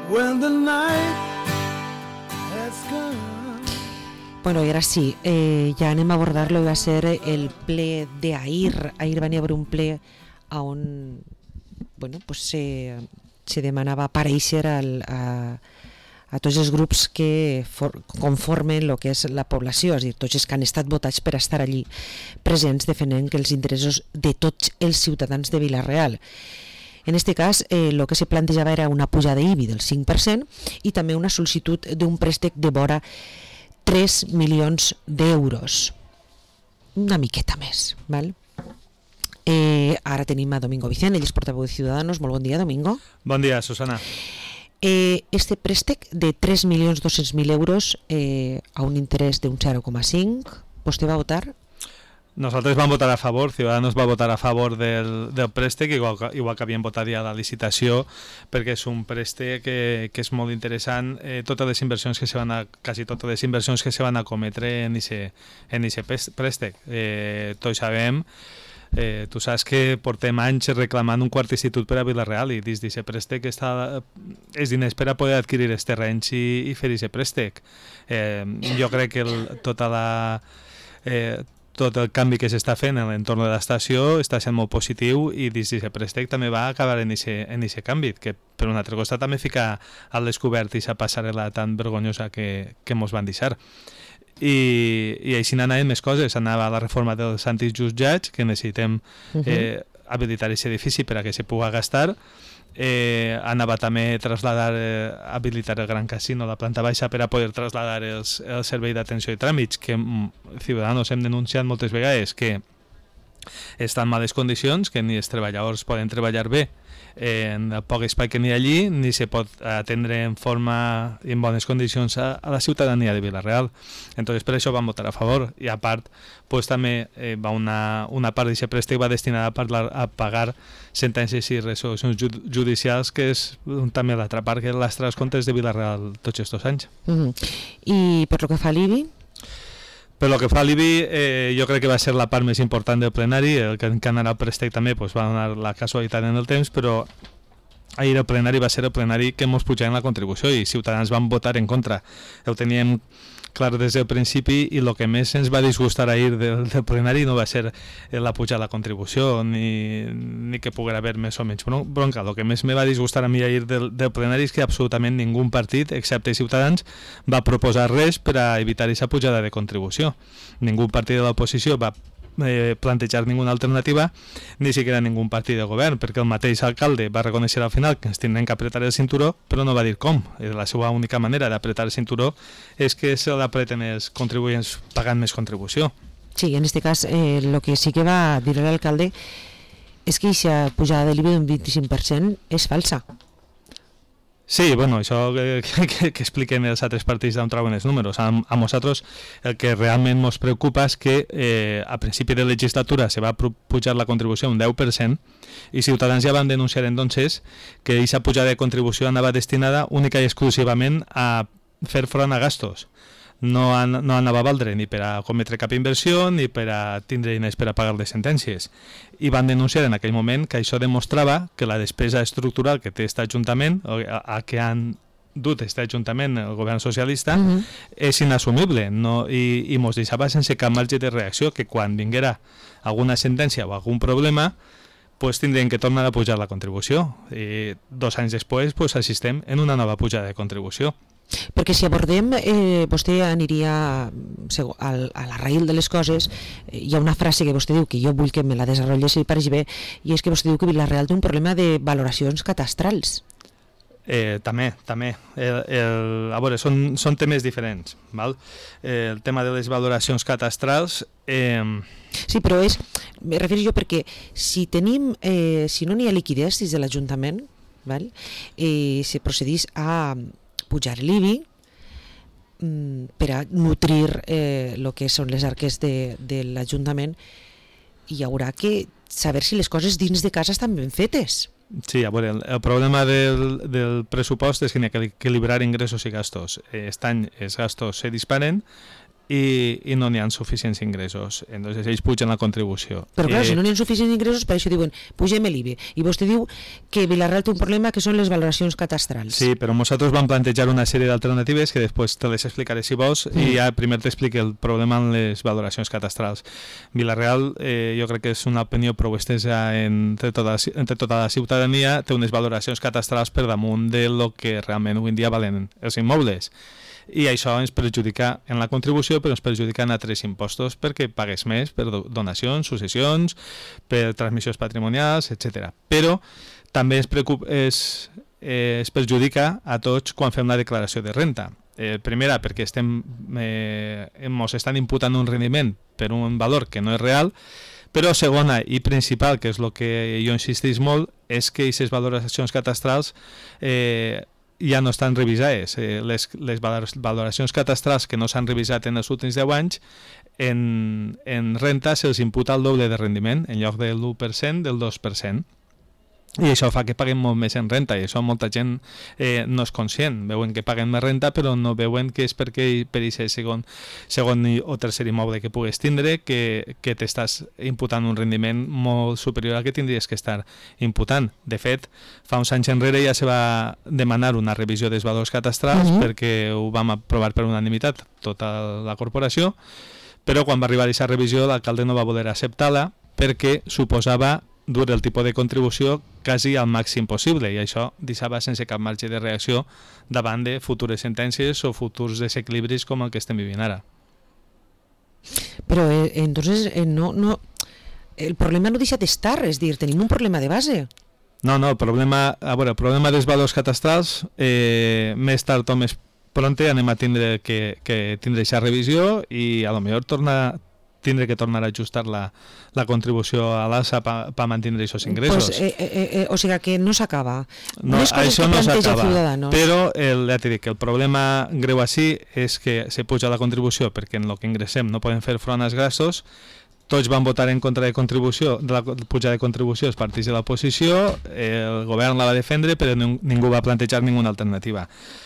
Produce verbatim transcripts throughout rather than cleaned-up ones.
when the night has come. Bueno, i ara sí, eh, ja anem a abordar lo que va ser el ple d'ahir. Ahir va haver un ple on bueno, pues se, se demanava aparèixer al, a, a tots els grups que for, conformen el que és la població, és a dir, tots els que han estat votats per estar allí presents defendent que els interessos de tots els ciutadans de Vila-real. En aquest cas, eh, el que se plantejava era una pujada d'I B I del cinc per cent i també una sol·licitud d'un préstec de vora tres milions d'euros, una miqueta més, val? Eh, ara tenim a Domingo Vicent, ell és portaveu de Ciudadanos. Molt bon dia, Domingo. Bon dia, Susana. Eh, este préstec de tres milions dos-cents mil euros eh, a un interès d'un zero coma cinc, vostè va votar? Nosaltres vam votar a favor, Ciudadanos va votar a favor del, del préstec, igual, igual que havíem votat ja a la licitació, perquè és un préstec que, que és molt interessant. Eh, totes les inversions que se van a, quasi totes les inversions que se van a cometre en aquest préstec. Eh, tots sabem, eh, tu saps que portem anys reclamant un quart institut per a Vila-real i dins d'aquest préstec està els diners per a poder adquirir els terrenys i, i fer aquest préstec. Eh, jo crec que el, tota la... Eh, tot el canvi que s'està fent en l'entorn de l'estació està sent molt positiu i dins d'aquest préstec també va acabar en aquest canvi, que per un altre costat també fica al descobert aquesta passarel·la tan vergonyosa que, que mos van deixar. I, i així anaven més coses, anava la reforma dels antics jutjats, que necessitem eh, habilitar aquest edifici per a que se pugui gastar. Eh, anava també a trasladar, eh, habilitar el Gran Casino, la planta baixa, per a poder trasladar els, el servei d'atenció i tràmits, que Ciudadanos hem denunciat moltes vegades que està en males condicions, que ni els treballadors poden treballar bé eh, en el poc espai que n'hi ha allí, ni se pot atendre en forma i en bones condicions a, a la ciutadania de Vila-real. Entonces, per això vam votar a favor. I a part, pues, també eh, va una, una part d'aquest préstec va destinada a, parlar, a pagar sentències i resolucions judicials, que és també l'altra part que lastra els comptes de Vila-real tots aquests anys. Uh-huh. I per lo que fa a l'I B I? Per lo que fa a l'I B I, eh, jo crec que va ser la part més important del plenari. El que encara el préstec també pues, va donar la casualitat en el temps, però ahir el plenari va ser el plenari que ens pujaven la contribució i Ciutadans van votar en contra. Ho teníem clar des del principi i el que més ens va disgustar ahir del, del plenari no va ser la pujada de la contribució ni, ni que poguera haver més o menys bronca. El que més me va disgustar a mi ahir del, del plenari és que absolutament ningú partit, excepte Ciutadans, va proposar res per a evitar aquesta pujada de contribució. Ningú partit de l'oposició va Eh, plantejar ninguna alternativa, ni siquiera ningú partit de govern, perquè el mateix alcalde va reconèixer al final que ens tindrem que apretar el cinturó, però no va dir com. I la seva única manera d'apretar el cinturó és que se l'apreten els contribuents pagant més contribució. Sí, en aquest cas eh, el que sí que va dir l'alcalde és que aquesta pujada de l'I B I d'un vint-i-cinc per cent és falsa. Sí, bueno, això que, que, que expliquen els altres partits d'on troben els números. A, a nosaltres el que realment ens preocupa és que eh, a principi de legislatura se va pujar la contribució un deu per cent i Ciutadans ja van denunciar entonces que aquesta pujada de contribució anava destinada única i exclusivament a fer front a gastos. No, an, no anava a valdre ni per a cometre cap inversió ni per a tindre diners per a pagar les sentències. I van denunciar en aquell moment que això demostrava que la despesa estructural que té aquest Ajuntament, a, a que han dut aquest Ajuntament, el govern socialista, uh-huh. és inassumible, no? I, i mos deixava sense cap marge de reacció, que quan vinguera alguna sentència o algun problema pues tindrem que tornar a pujar la contribució. I dos anys després pues, assistem en una nova pujada de contribució. Perquè si abordem, eh, vostè aniria a la raïl de les coses. Hi ha una frase que vostè diu, que jo vull que me la desenvolupés i pareixi bé, i és que vostè diu que Vila-real té un problema de valoracions catastrals. Eh, també, també. El, el, a veure, són, són temes diferents. Val? Eh, el tema de les valoracions catastrals... Eh... Sí, però és, me refereixo jo perquè si tenim, eh, si no n'hi ha liquiditat des de l'Ajuntament, val? Eh, se procedís a pujar l'I B I mm, per a nutrir eh, el que són les arques de, de l'Ajuntament, i hi haurà que saber si les coses dins de casa estan ben fetes. Sí, a veure, el, el problema del, del pressupost és que n'hi ha que equilibrar ingressos i gastos. Aquest any els gastos se disparen i, i no n'hi ha suficients ingressos. Entonces ells pugen la contribució. Però clar, eh, si no n'hi ha suficients ingressos, per això diuen, pugem l'I B E. I vostè diu que Vila-real té un problema que són les valoracions catastrals. Sí, però nosaltres vam plantejar una sèrie d'alternatives que després te les explicaré si vols, mm. i ja primer t'explique el problema amb les valoracions catastrals. Vila-real, eh, jo crec que és una opinió prou estesa entre tota, entre tota la ciutadania, té unes valoracions catastrals per damunt de lo que realment avui en dia valen els immobles. I això ens perjudica en la contribució, però ens perjudica en altres impostos perquè pagues més per donacions, successions, per transmissions patrimonials, etcètera. Però també es, preocup, es, eh, es perjudica a tots quan fem la declaració de renta. Eh, primera, perquè estem, eh, ens estan imputant un rendiment per un valor que no és real, però segona i principal, que és el que jo insistís molt, és que aquestes valoracions catastrals eh, ja no estan revisades. Eh, les, les valoracions catastrals que no s'han revisat en els últims deu anys, en, en renta se'ls imputa el doble de rendiment, en lloc del l'u per cent, del dos per cent. I això fa que paguem molt més en renta, i això molta gent eh, no és conscient. Veuen que paguen més renta, però no veuen que és perquè per aquest segon, segon o tercer immoble que pugues tindre, que, que t'estàs imputant un rendiment molt superior al que tindries que estar imputant. De fet, fa uns anys enrere ja se va demanar una revisió dels valors catastrals, uh-huh. perquè ho vam aprovar per unanimitat tota la corporació, però quan va arribar a aquesta revisió l'alcalde no va voler acceptar-la perquè suposava dur el tipus de contribució quasi al màxim possible, i això deixava sense cap marge de reacció davant de futures sentències o futurs desequilibris com el que estem vivint ara. Però eh, entonces eh, no, no, el problema no deixa d'estar, és dir, tenim un problema de base. No, no, el problema, a veure, el problema dels valors catastrals, eh, més tard o més pronte anem a tindre que, que tindre aquesta revisió i a lo millor torna tindre que tornar a ajustar la, la contribució a l'alça per pa mantenir aquests ingressos. Pues, eh, eh, eh, o sigui que no s'acaba. No, això no s'acaba, Ciudadanos. Però el, ja t'he dit que el problema greu així és que se puja la contribució perquè en el que ingressem no podem fer front als gastos. Tots van votar en contra de contribució, de la puja de contribució els partits de l'oposició, el govern la va defendre, però ningú va plantejar ninguna alternativa.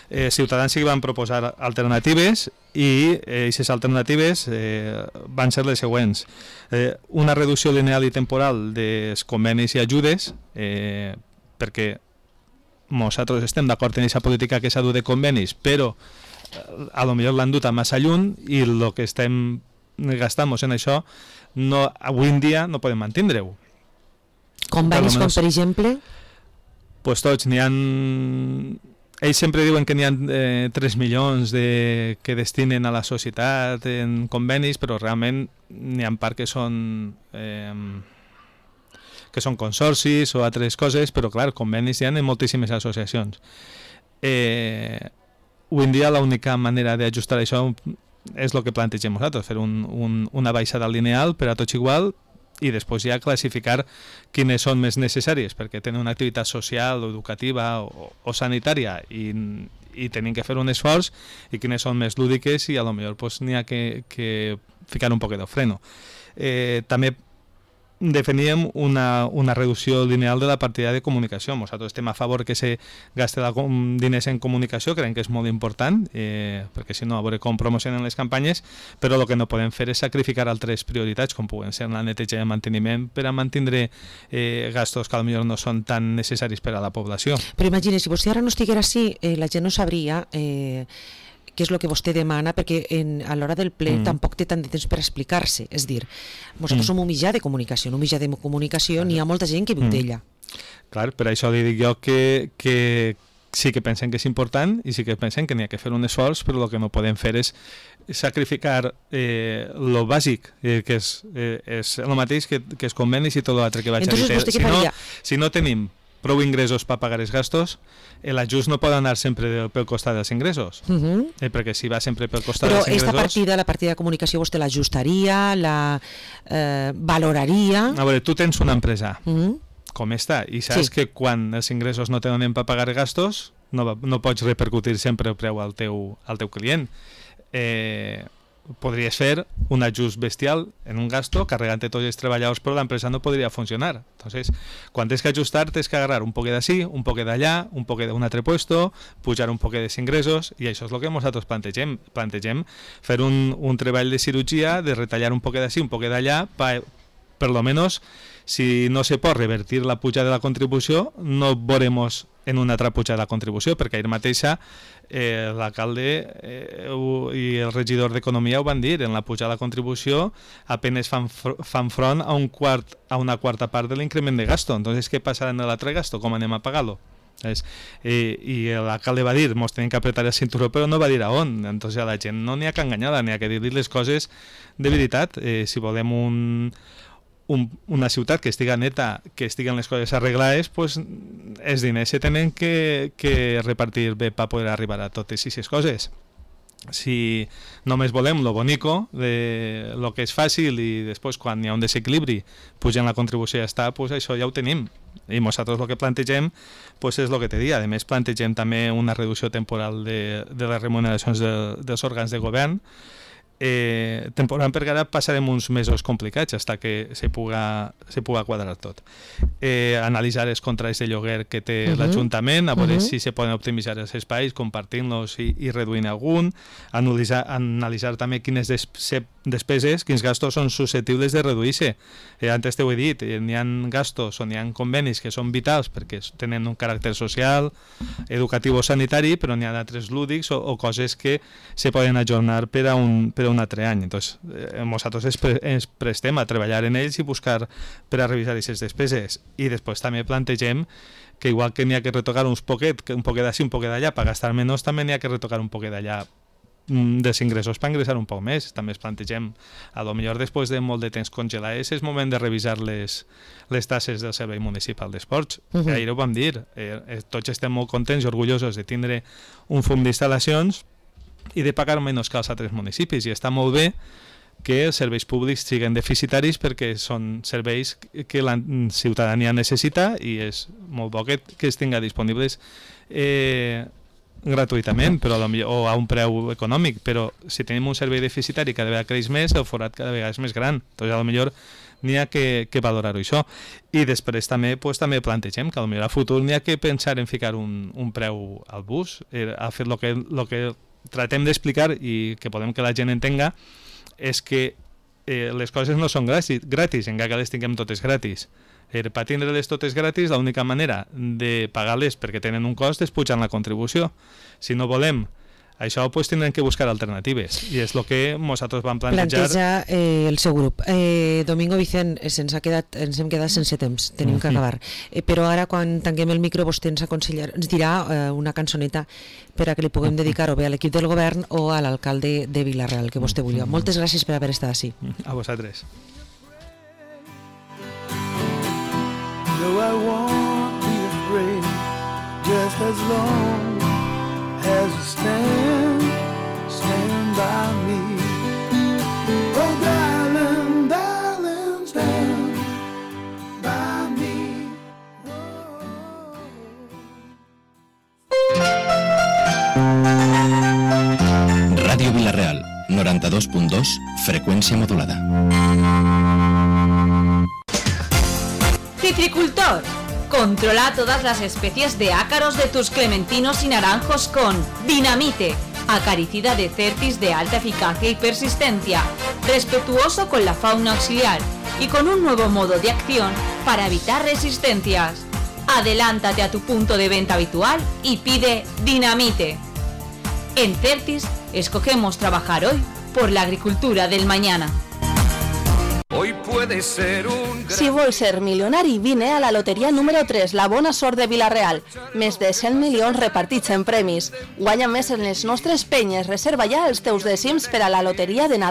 Eh, Ciutadans sí que van proposar alternatives i aquestes eh, alternatives eh, van ser les següents. Eh, una reducció lineal i temporal dels convenis i ajudes, eh, perquè nosaltres estem d'acord en aquesta política que s'ha dut de convenis, però eh, a lo millor l'han dut a massa lluny i el que estem gastant en això no, avui en dia no podem mantindre-ho. Convenis com, per exemple? Pues tots, n'hi ha... Ells sempre diuen que n'hi ha eh, tres milions de, que destinen a la societat en convenis, però realment n'hi ha part que són eh, que són consorcis o altres coses, però clar, convenis hi ha en moltíssimes associacions. Eh, avui en dia l'única manera d'ajustar això és el que plantegem nosaltres, fer un, un, una baixada lineal per a tots igual i després ja classificar quines són més necessàries perquè tenen una activitat social o educativa o, o sanitària i, i tenim que fer un esforç i quines són més lúdiques i a lo millor pues, n'hi ha que, que ficar un poc de freno. Eh, també definíem una, una reducció lineal de la partida de comunicació. Nosaltres estem a favor que se gaste la, diners en comunicació, creiem que és molt important, eh, perquè si no, a veure com promocionen les campanyes, però el que no podem fer és sacrificar altres prioritats, com puguen ser la neteja i el manteniment, per a mantenir eh, gastos que potser no són tan necessaris per a la població. Però imagina, si vostè ara no estiguera així, eh, la gent no sabria... Eh, què és el que vostè demana, perquè en, a l'hora del ple mm. tampoc té tant de temps per explicar-se. És dir, nosaltres mm. som un mitjà de comunicació, un mitjà de comunicació, n'hi ha molta gent que viu mm. d'ella. Clar, per això li dic jo que, que sí que pensen que és important i sí que pensen que n'hi ha que fer un esforç, però el que no podem fer és sacrificar eh, lo bàsic, eh, que és, eh, és el mateix que, que els convenis i tot l'altre que vaig Entonces, a dir. Si no, si no tenim prou ingressos per pagar els gastos, l'ajust no pot anar sempre pel costat dels ingressos, uh-huh. eh, perquè si va sempre pel costat Però dels ingressos... Però aquesta partida, la partida de comunicació, vostè l'ajustaria, la eh, valoraria... A veure, tu tens una empresa, uh-huh. com està, i saps sí. que quan els ingressos no te donen per pagar gastos, no, no pots repercutir sempre el preu al teu, al teu client. Eh, podries fer un ajust bestial en un gasto carregant-te tots els treballadors, però l'empresa no podria funcionar. Entonces, quan tens que ajustar, tens que agarrar un poquet d'ací, un poquet d'allà, un poquet d'un altre puesto, pujar un poquet dels ingressos, i això és el que nosaltres plantegem. Plantegem fer un, un treball de cirurgia, de retallar un poquet d'ací, un poquet d'allà, per, per lo menos, si no se pot revertir la pujada de la contribució, no veurem en una altra pujada de la contribució, perquè ahir mateixa eh, l'alcalde eh, i el regidor d'Economia ho van dir, en la pujada de la contribució apenas fan, fan front a, un quart, a una quarta part de l'increment de gasto. Entonces, què passarà en l'altre gasto? Com anem a pagar-lo? És, i, i l'alcalde va dir, mos tenim que apretar el cinturó, però no va dir a on. Entonces a la gent no n'hi ha que enganyar-la, n'hi ha que dir-li les coses de veritat. Eh, si volem un Un, una ciutat que estiga neta, que estiguen les coses arreglades, pues, els diners se tenen que, que repartir bé per poder arribar a totes aquestes coses. Si només volem lo bonico, de lo que és fàcil, i després quan hi ha un desequilibri pugen la contribució i ja està, pues això ja ho tenim. I nosaltres el que plantegem pues és el que te dic. A més, plantegem també una reducció temporal de, de les remuneracions de, dels òrgans de govern, Eh, temporal, perquè ara passarem uns mesos complicats fins que se puga, se puga quadrar tot. Eh, analitzar els contrats de lloguer que té uh -huh. l'Ajuntament, a veure uh -huh. si se poden optimitzar els espais, compartint-los i, i reduint algun, analitzar, analitzar també quines des, despeses, quins gastos són susceptibles de reduir-se. Eh, antes t'ho he dit, eh, n'hi ha gastos o n'hi ha convenis que són vitals perquè tenen un caràcter social, educatiu o sanitari, però n'hi ha d'altres lúdics o, o coses que se poden ajornar per a un, per a un altre any. Entonces, eh, nosaltres ens, pre ens prestem a treballar en ells i buscar per a revisar aquestes despeses. I després també plantegem que igual que n'hi ha que retocar uns poquet, un poquet d'ací, un poquet d'allà, per gastar menys, també n'hi ha que retocar un poquet d'allà dels ingressos per ingressar un poc més. També es plantegem, a lo millor després de molt de temps congelades, és moment de revisar les, les tasses del Servei Municipal d'Esports. Uh -huh. Ahir ho vam dir, eh, tots estem molt contents i orgullosos de tindre un fum d'instal·lacions i de pagar menys que als altres municipis, i està molt bé que els serveis públics siguin deficitaris perquè són serveis que la ciutadania necessita, i és molt bo que, que es tinga disponibles eh, gratuïtament, però a millor, o a un preu econòmic, però si tenim un servei deficitari cada vegada creix més, el forat cada vegada és més gran. Doncs a lo millor n'hi ha que, que valorar-ho això. I després també, pues, també plantegem que a lo millor a futur n'hi ha que pensar en ficar un, un preu al bus, eh, a fer el que, lo que tratem d'explicar i que podem que la gent entenga és que eh, les coses no són gratis, gratis encara que les tinguem totes gratis. Eh, per tindre-les totes gratis, l'única manera de pagar-les perquè tenen un cost és pujant la contribució. Si no volem això, pues, tindrem que buscar alternatives, i és el que nosaltres vam plantejar. Planteja eh, el seu grup. Eh, Domingo Vicent, eh, ens, ha quedat, ens hem quedat sense temps, tenim que acabar. Eh, però ara, quan tanquem el micro, vostè ens, aconsellar, ens dirà eh, una cançoneta per a que li puguem dedicar o bé a l'equip del govern o a l'alcalde de Vila-real, que vostè vulgui. Moltes gràcies per haver estat així. A vosaltres. No, I won't be afraid, just as long as you stand, stand by me. Oh, darling, darling, stand by me. Ràdio Vila-real, noranta-dos punt dos, freqüència modulada. Citricultor. Controla todas las especies de ácaros de tus clementinos y naranjos con Dinamite, acaricida de Certis de alta eficacia y persistencia, respetuoso con la fauna auxiliar y con un nuevo modo de acción para evitar resistencias. Adelántate a tu punto de venta habitual y pide Dinamite. En Certis escogemos trabajar hoy por la agricultura del mañana. Hoy puede ser un gran... Si vols ser milionari, vine a la loteria número tres, la bona sort de Vila-real. Més de cent milions repartits en premis. Guanya més en les nostres penyes. Reserva ja els teus dècims per a la loteria de Nadal.